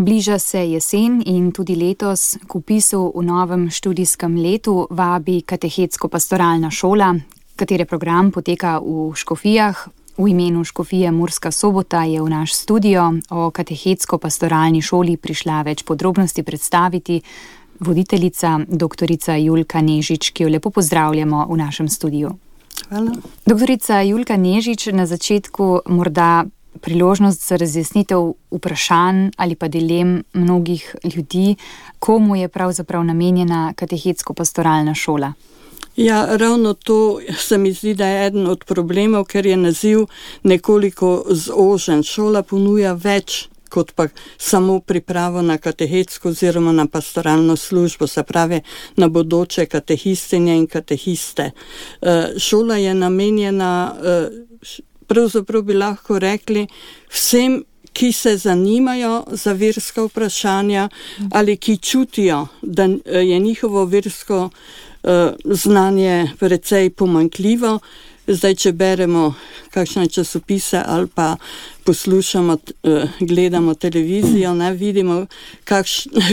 Bliža se jesen in tudi letos k vpisu v novem študijskem letu vabi Katehetsko-pastoralna šola, katere program poteka v Škofijah. V imenu Škofije Murska Sobota je v naš studio o Katehetsko-pastoralni šoli prišla več podrobnosti predstaviti voditeljica doktorica Julka Nežič, ki jo lepo pozdravljamo v našem studiu. Hvala. Doktorica Julka Nežič, na začetku morda priložnost za razjasnitev vprašanj ali pa dilem mnogih ljudi, komu je pravzaprav namenjena Katehetsko-pastoralna šola? Ja, ravno to se mi zdi, da je eden od problemov, ker je naziv nekoliko zožen. Šola ponuja več kot pa samo pripravo na katehetsko oziroma na pastoralno službo, se pravi na bodoče katehistinje in katehiste. Šola je namenjena, pravzaprav bi lahko rekli, vsem, ki se zanimajo za verska vprašanja ali ki čutijo, da je njihovo versko znanje precej pomanjkljivo. Zdaj, če beremo kakšne časopise ali pa poslušamo, gledamo televizijo, vidimo,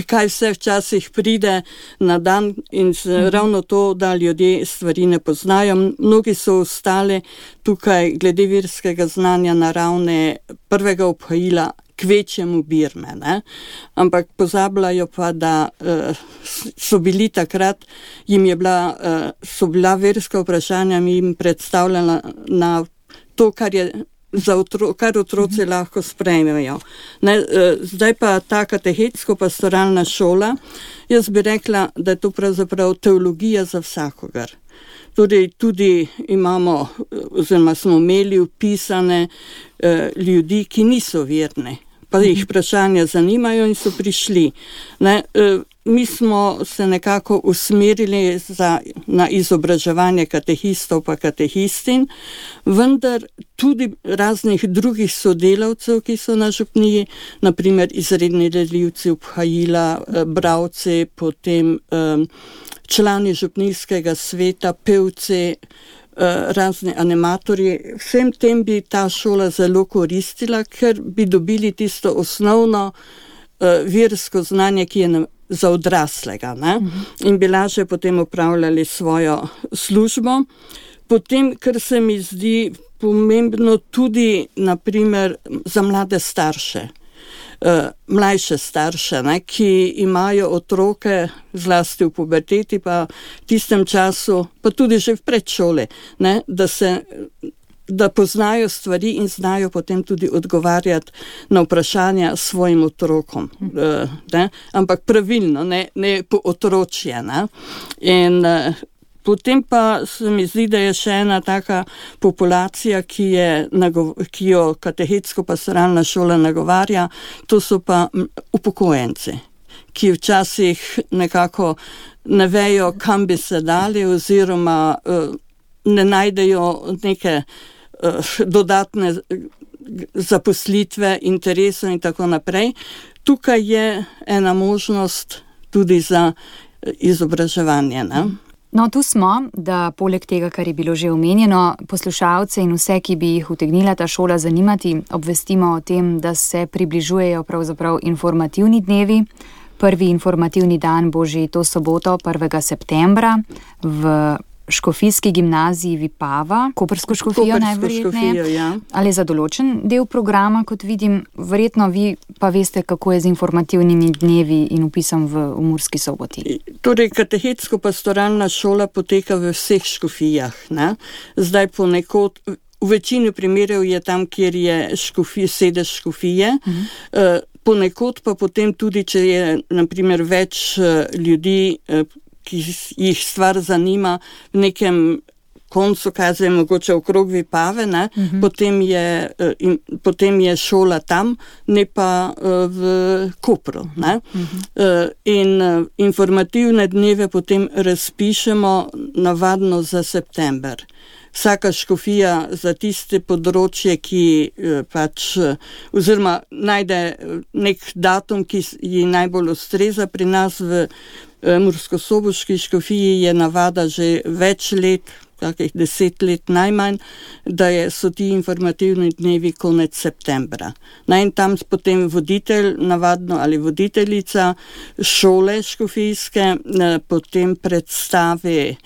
kaj vse včasih pride na dan in ravno to, da ljudje stvari ne poznajo. Mnogi so ostali tukaj glede verskega znanja na ravni prvega obhajila kvečjemu Birme, ampak pozabljajo pa, da so bili takrat, so bila verska vprašanja jim predstavljena na to, kar otroci lahko sprejmejo. Zdaj pa ta katehetsko-pastoralna šola, jaz bi rekla, da je to pravzaprav teologija za vsakogar. Tudi imamo, oziroma smo imeli vpisane ljudi, ki niso verni, pa jih vprašanja zanimajo in so prišli. Mi smo se nekako usmerili na izobraževanje katehistov pa katehistin, vendar tudi raznih drugih sodelavcev, ki so na župniji, naprimer izredni delivci obhajila, bralci, potem člani župnijskega sveta, pevci, razni animatorji. Vsem tem bi ta šola zelo koristila, ker bi dobili tisto osnovno versko znanje, ki je za odraslega, in bi lažje potem upravljali svojo službo. Potem, kar se mi zdi pomembno tudi, naprimer, za mlade starše, mlajše starše, ki imajo otroke zlasti v puberteti, pa v tistem času, pa tudi že v predšoli, da poznajo stvari in znajo potem tudi odgovarjati na vprašanja svojim otrokom. Ampak pravilno, ne po otročje. In potem pa se mi zdi, da je še ena taka populacija, ki jo Katehetsko-pastoralna šola nagovarja, to so pa upokojenci, ki včasih nekako ne vejo, kam bi se dali, oziroma ne najdejo neke dodatne zaposlitve, interesov in tako naprej. Tukaj je ena možnost tudi za izobraževanje. No, tu smo, da poleg tega, kar je bilo že omenjeno, poslušalce in vse, ki bi jih utegnila ta šola zanimati, obvestimo o tem, da se približujejo pravzaprav informativni dnevi. Prvi informativni dan bo že to soboto, 1. septembra, v Škofijski gimnaziji Vipava, Koprsko škofijo najverjetneje. Ja. Ali za določen del programa, kot vidim, verjetno vi pa veste, kako je z informativnimi dnevi in vpisom v Murski Soboti. Torej, Katehetsko-pastoralna šola poteka v vseh škofijah. Zdaj ponekod, v večini primerov je tam, kjer je sedež škofije, ponekod pa potem tudi, če je naprimer več ljudi, ki jih stvar zanima v nekem koncu, kaj mogoče okrog Vipave, potem je šola tam, ne pa v Kopru. In informativne dneve potem razpišemo navadno za september. Vsaka škofija za tiste področje, ki oziroma najde nek datum, ki ji najbolj ustreza. Pri nas v murskosoboški škofiji je navada že več let, kakih 10 let najmanj, da so ti informativni dnevi konec septembra. In tam potem voditelj, navadno ali voditeljica šole škofijske, potem predstavi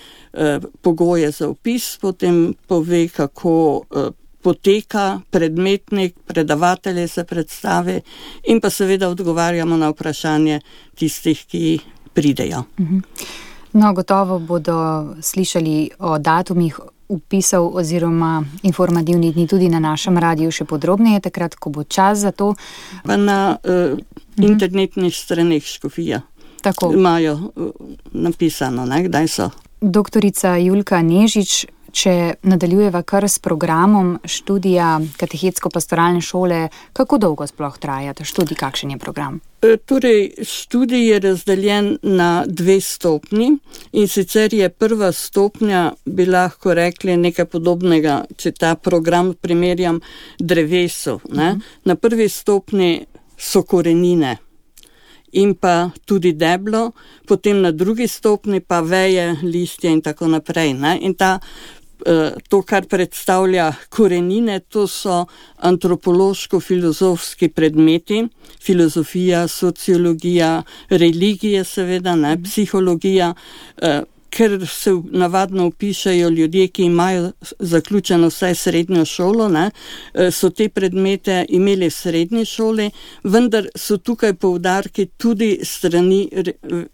pogoje za vpis, potem pove, kako poteka predmetnik, predavatelje se predstavi in pa seveda odgovarjamo na vprašanje tistih, ki pridejo. No, gotovo bodo slišali o datumih vpisov oziroma informativnih dni tudi na našem radiju še podrobneje, takrat, ko bo čas za to. Pa na internetnih straneh škofija. Tako. Imajo napisano, kdaj so. Doktorica Julka Nežič, če nadaljujeva kar s programom študija Katehetsko-pastoralne šole, kako dolgo sploh traja ta študij, kakšen je program? Torej, študij je razdeljen na 2 stopnji in sicer je prva stopnja, bi lahko rekli nekaj podobnega, če ta program primerjam drevesu. Na prvi stopnji so korenine in pa tudi deblo, potem na drugi stopnji pa veje, listje in tako naprej. In to, kar predstavlja korenine, to so antropološko-filozofski predmeti, filozofija, sociologija, religije seveda, psihologija, ker se navadno vpišajo ljudje, ki imajo zaključeno vsaj srednjo šolo, so te predmete imeli v srednji šoli, vendar so tukaj poudarki tudi strani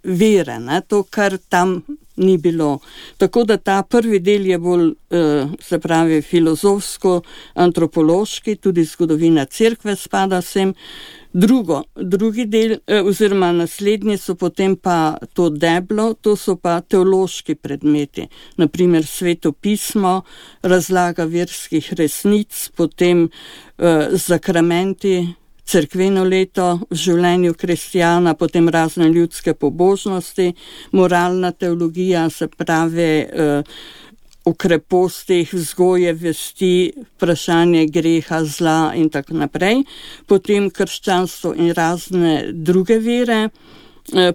vere, to, kar tam ni bilo. Tako da ta prvi del je bolj, se pravi, filozofsko-antropološki, tudi zgodovina cerkve spada sem. Drugi del, oziroma naslednji so potem pa to deblo, to so pa teološki predmeti. Naprimer Sveto pismo, razlaga verskih resnic, potem zakramenti, cerkveno leto v življenju kristjana, potem razne ljudske pobožnosti, moralna teologija, se pravi o krepostih, vzgoje vesti, vprašanje greha, zla in tako naprej, potem krščanstvo in razne druge vere,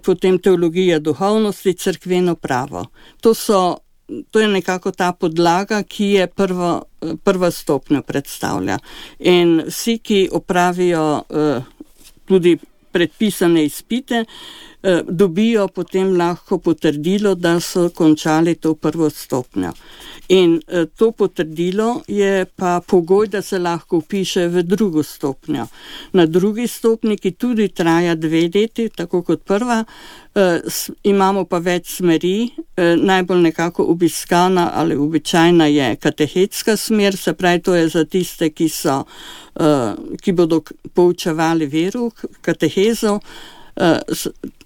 potem teologija duhovnosti, cerkveno pravo. To je nekako ta podlaga, ki je prva stopnja predstavlja. In vsi, ki opravijo tudi predpisane izpite, dobijo potem lahko potrdilo, da so končali to prvo stopnjo. In to potrdilo je pa pogoj, da se lahko vpiše v drugo stopnjo. Na drugi stopnji, ki tudi traja 2 leti, tako kot prva, imamo pa več smeri. Najbolj nekako obiskana ali običajna je katehetska smer, se pravi, to je za tiste, ki bodo poučevali vero, katehezo.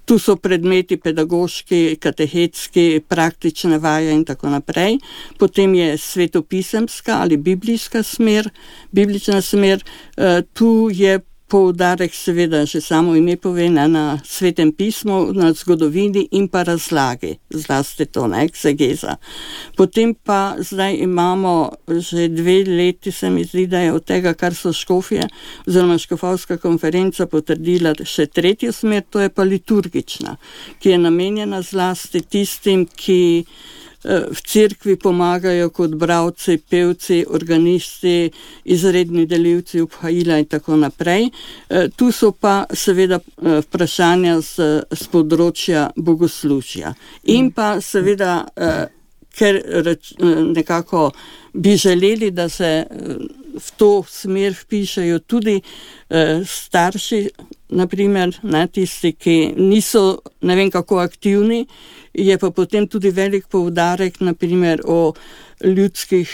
Tu so predmeti pedagoški, katehetski, praktične vaje in tako naprej. Potem je svetopisemska ali biblijska smer, biblična smer. Tu je poudarek seveda, že samo ime pove, na svetem pismu, na zgodovini in pa razlagi, zlasti to, eksegeza. Potem pa zdaj imamo že 2 leti, se mi zdi, da je od tega, kar so škofje, oziroma škofovska konferenca potrdila še 3. smer, to je pa liturgična, ki je namenjena zlasti tistim, ki v cerkvi pomagajo kot bralci, pevci, organisti, izredni delivci obhajila in tako naprej. Tu so pa seveda vprašanja z področja bogoslužja. In pa seveda, ker nekako bi želeli, da se v to smer vpišajo tudi starši, naprimer, tisti, ki niso ne vem kako aktivni, je pa potem tudi velik poudarek, naprimer o ljudskih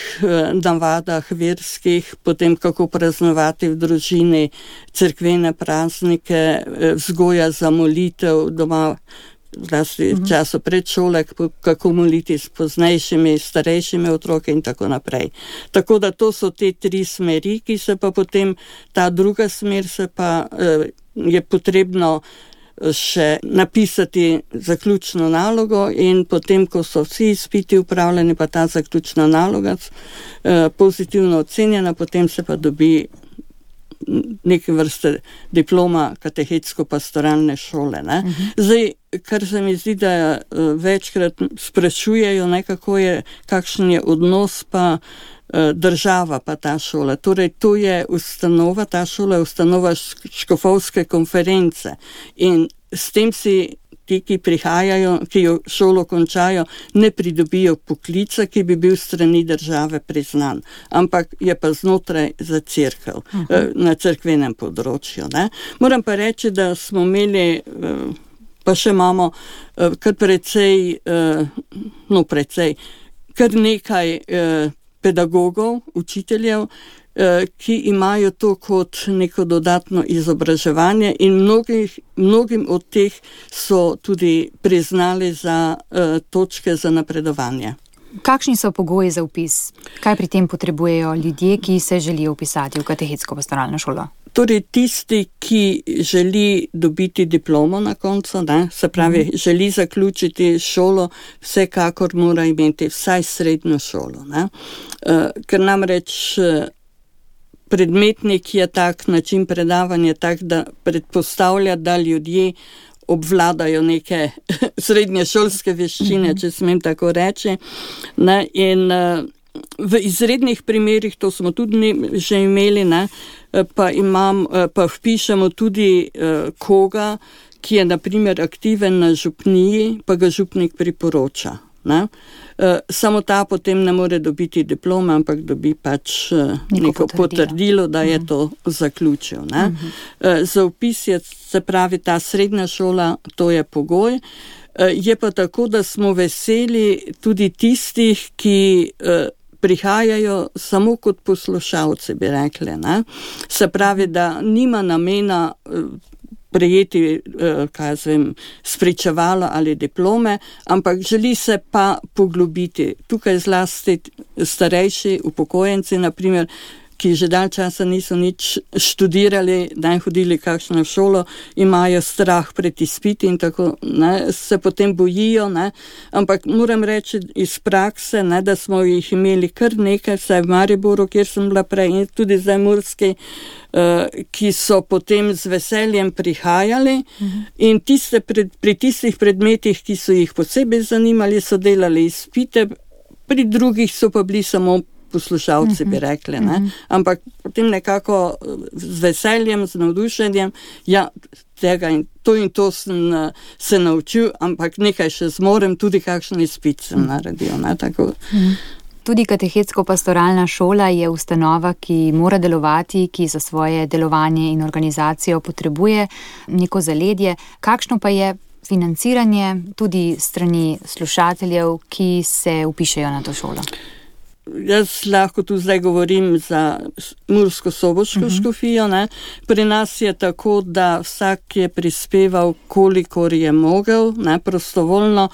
navadah, verskih, potem kako praznovati v družini cerkvene praznike, vzgoja za molitev doma, zlasti v času predšole, kako moliti s poznejšimi, starejšimi otroki in tako naprej. Tako da to so te 3 smeri, ki se pa potem, ta druga smer se pa je potrebno še napisati zaključno nalogo in potem, ko so vsi izpiti upravljeni, pa ta zaključna naloga pozitivno ocenjena, potem se pa dobi neke vrste diploma katehetsko-pastoralne šole. Ne. Zdaj, kar se mi zdi, da večkrat sprašujejo, kakšen je odnos pa država pa ta šola. Torej, to je ustanova, ta šola je ustanova škofovske konference in s tem si ti, ki prihajajo, ki jo šolo končajo, ne pridobijo poklica, ki bi bil strani države priznan, ampak je pa znotraj za cerkev, na cerkvenem področju. Ne. Moram pa reči, da smo imeli, pa še imamo kar kar nekaj pedagogov, učiteljev, ki imajo to kot neko dodatno izobraževanje in mnogim od teh so tudi priznali za točke za napredovanje. Kakšni so pogoji za vpis? Kaj pri tem potrebujejo ljudje, ki se želijo vpisati v katehetsko-pastoralno šolo? Torej, tisti, ki želi dobiti diplomo na koncu, ne, se pravi, želi zaključiti šolo, vsekakor mora imeti vsaj srednjo šolo. Ne. Ker namreč predmetnik je tak, način predavanja tak, da predpostavlja, da ljudje obvladajo neke srednješolske veščine, če smem tako reči. Ne, in v izrednih primerih, to smo tudi že imeli, ne, pa vpišemo tudi koga, ki je na primer aktiven na župniji, pa ga župnik priporoča. Ne. Samo ta potem ne more dobiti diplome, ampak dobi pač neko potrdilo, da je to zaključil. Ne. Za vpis je, se pravi, ta srednja šola, to je pogoj. Je pa tako, da smo veseli tudi tistih, ki prihajajo samo kot poslušalci, bi rekli. Ne. Se pravi, da nima namena prejeti, spričevalo ali diplome, ampak želi se pa poglobiti. Tukaj zlasti starejši upokojenci, naprimer, ki že dalj časa niso nič študirali, da hodili kakšno šolo, imajo strah pred izpiti in tako, ne, se potem bojijo, ne, ampak moram reči iz prakse, ne, da smo jih imeli kar nekaj, vsaj v Mariboru, kjer sem bila prej, in tudi zdaj Murski, ki so potem z veseljem prihajali in pri tistih predmetih, ki so jih posebej zanimali, so delali izpite, pri drugih so pa bili samo poslušalci, bi rekli, ne? Ampak potem nekako z veseljem, z navdušenjem, ja, tega in to sem se naučil, ampak nekaj še zmorem, tudi kakšen izpit sem naredil, ne, tako. Tudi katehetsko-pastoralna šola je ustanova, ki mora delovati, ki za svoje delovanje in organizacijo potrebuje neko zaledje. Kakšno pa je financiranje tudi strani slušateljev, ki se vpišejo na to šolo? Jaz lahko tu zdaj govorim za Mursko-Soboško škofijo. Ne. Pri nas je tako, da vsak je prispeval, kolikor je mogel, ne, prostovoljno,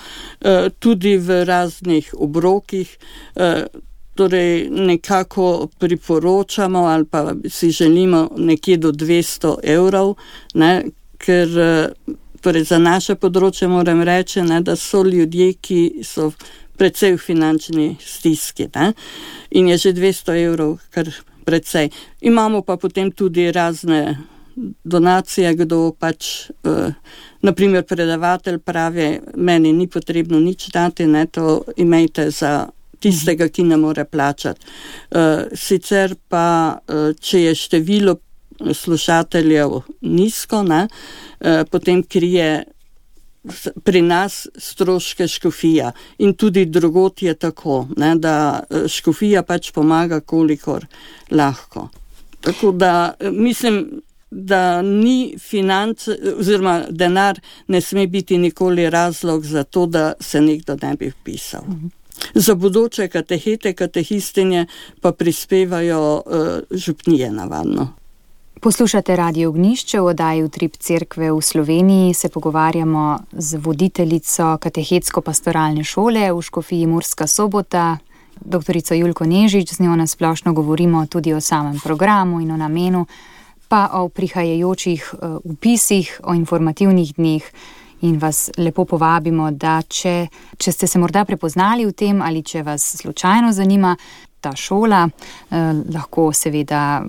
tudi v raznih obrokih. Torej nekako priporočamo ali pa si želimo nekje do 200 evrov, ne, ker torej za naše področje moram reči, ne, da so ljudje, ki so precej v finančni stiski, ne? In je že 200 evrov kar precej. Imamo pa potem tudi razne donacije, kdo pač, naprimer predavatelj pravi, meni ni potrebno nič dati, ne, to imejte za tistega, ki ne more plačati. Sicer pa, če je število slušateljev nizko, ne, potem krije pri nas stroške škofija in tudi drugod je tako, ne, da škofija pač pomaga, kolikor lahko. Tako da mislim, da ni oziroma denar ne sme biti nikoli razlog za to, da se nekdo ne bi vpisal. Za bodoče katehete, katehistinje pa prispevajo župnije navadno. Poslušate Radio Ognjišče, v oddaji Utrip cerkve v Sloveniji se pogovarjamo z voditeljico katehetsko-pastoralne šole v škofiji Murska Sobota, doktorico Julko Nežič. Z njo nasplošno govorimo tudi o samem programu in o namenu, pa o prihajajočih vpisih, o informativnih dneh. In vas lepo povabimo, da če ste se morda prepoznali v tem ali če vas slučajno zanima ta šola, lahko seveda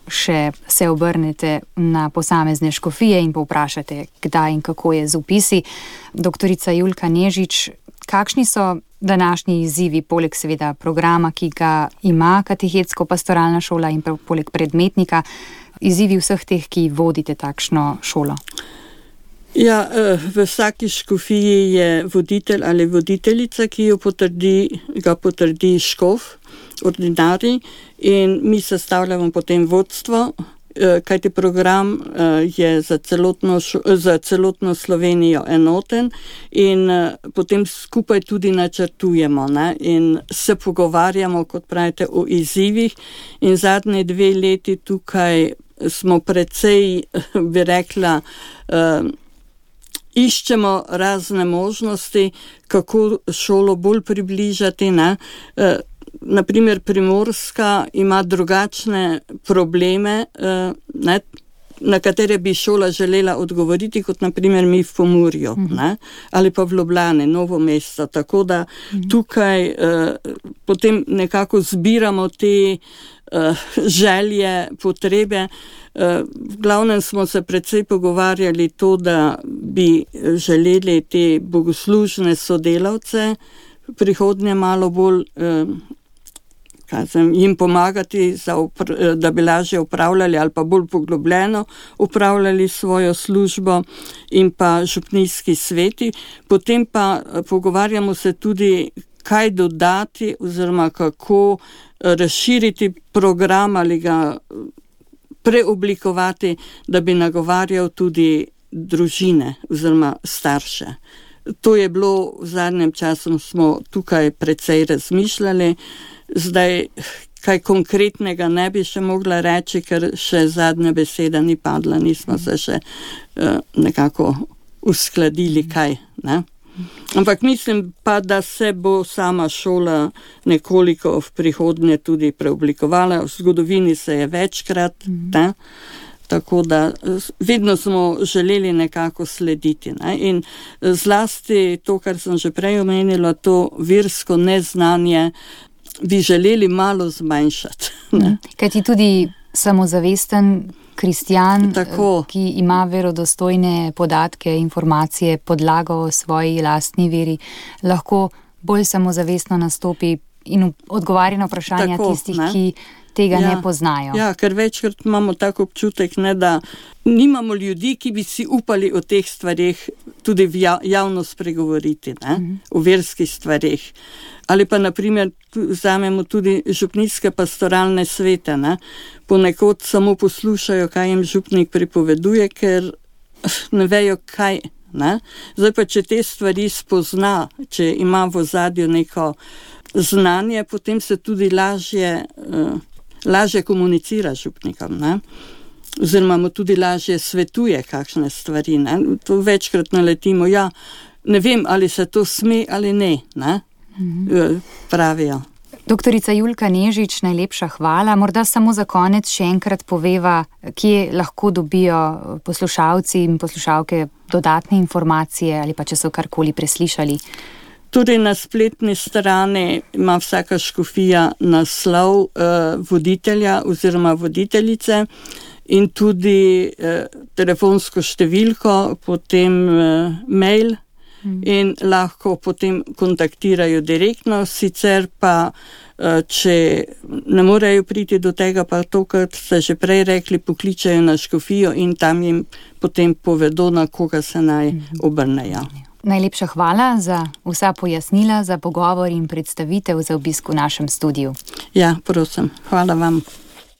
še se obrnete na posamezne škofije in povprašate, kdaj in kako je z vpisi. Doktorica Julka Nežič, kakšni so današnji izzivi, poleg seveda programa, ki ga ima Katechetsko-pastoralna šola in poleg predmetnika, izzivi vseh teh, ki vodite takšno šolo? Ja, v vsaki škofiji je voditelj ali voditeljica, ki ga potrdi škof, ordinarij, in mi sestavljamo potem vodstvo, kajti program je za celotno Slovenijo enoten in potem skupaj tudi načrtujemo, ne? In se pogovarjamo, kot pravite, o izzivih, in zadnje 2 leti tukaj smo precej, bi rekla, iščemo razne možnosti, kako šolo bolj približati, ne? Naprimer, Primorska ima drugačne probleme, ne, na katere bi šola želela odgovoriti, kot naprimer mi v Pomurju, ne, ali pa v Ljubljani, Novo mesto. Tako da tukaj potem nekako zbiramo te želje, potrebe. V glavnem smo se precej pogovarjali to, da bi želeli te bogoslužne sodelavce prihodnje malo bolj jim pomagati, da bi lažje upravljali ali pa bolj poglobljeno upravljali svojo službo, in pa župnijski sveti. Potem pa pogovarjamo se tudi, kaj dodati oziroma kako razširiti program ali ga preoblikovati, da bi nagovarjal tudi družine oziroma starše. To je bilo v zadnjem času, smo tukaj precej razmišljali. Zdaj, kaj konkretnega ne bi še mogla reči, ker še zadnja beseda ni padla, nismo se še nekako uskladili, kaj, ne? Ampak mislim pa, da se bo sama šola nekoliko v prihodnje tudi preoblikovala. V zgodovini se je večkrat, ne? Tako da vedno smo želeli nekako slediti, ne? In zlasti to, kar sem že prej omenila, to versko neznanje bi želeli malo zmanjšati. Kajti tudi samozavesten kristjan, ki ima verodostojne podatke, informacije, podlago o svoji lastni veri, lahko bolj samozavestno nastopi in odgovarja na vprašanja tistih, ki tega ne poznajo. Ja, ker večkrat imamo tako občutek, ne, da nimamo ljudi, ki bi si upali o teh stvareh tudi javno spregovoriti, ne, o verskih stvareh. Ali pa naprimer vzamemo tudi župnijske pastoralne svete, ne. Ponekod samo poslušajo, kaj jim župnik pripoveduje, ker ne vejo kaj, ne. Zdaj pa, če te stvari spozna, če ima v ozadju neko znanje, potem se tudi lažje komunicira z župnikom, ne? Oziroma mu tudi lažje svetuje kakšne stvari, ne? To večkrat naletimo, ja, ne vem, ali se to sme ali ne, ne? Pravijo. Doktorica Julka Nežič, najlepša hvala. Morda samo za konec še enkrat poveva, kje lahko dobijo poslušalci in poslušalke dodatne informacije ali pa če so karkoli preslišali. Tudi na spletni strani ima vsaka škofija naslov voditelja oziroma voditeljice in tudi telefonsko številko, potem mail in lahko potem kontaktirajo direktno. Sicer pa, če ne morejo priti do tega, pa to, kar ste že prej rekli, pokličajo na škofijo in tam jim potem povedo, na koga se naj obrnejo. Najlepša hvala za vsa pojasnila, za pogovor in predstavitev, za obisk v našem studiu. Ja, prosim. Hvala vam.